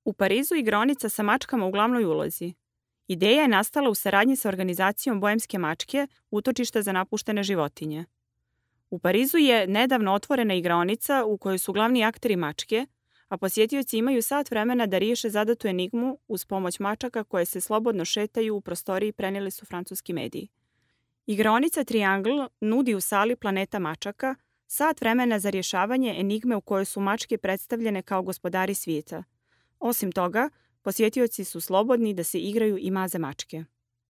U Parizu igraonica sa mačkama u glavnoj ulozi. Ideja je nastala u saradnji sa organizacijom Boemske mačke, utočište za napuštene životinje. U Parizu je nedavno otvorena igraonica u kojoj su glavni akteri mačke, a posjetioci imaju sat vremena da riješe zadatu enigmu uz pomoć mačaka koje se slobodno šetaju u prostoriji, prenijeli su francuski mediji. Igraonica Triangle nudi u sali Planeta mačaka sat vremena za rješavanje enigme u kojoj su mačke predstavljene kao gospodari svijeta. Osim toga, posjetioci su slobodni da se igraju i maze mačke.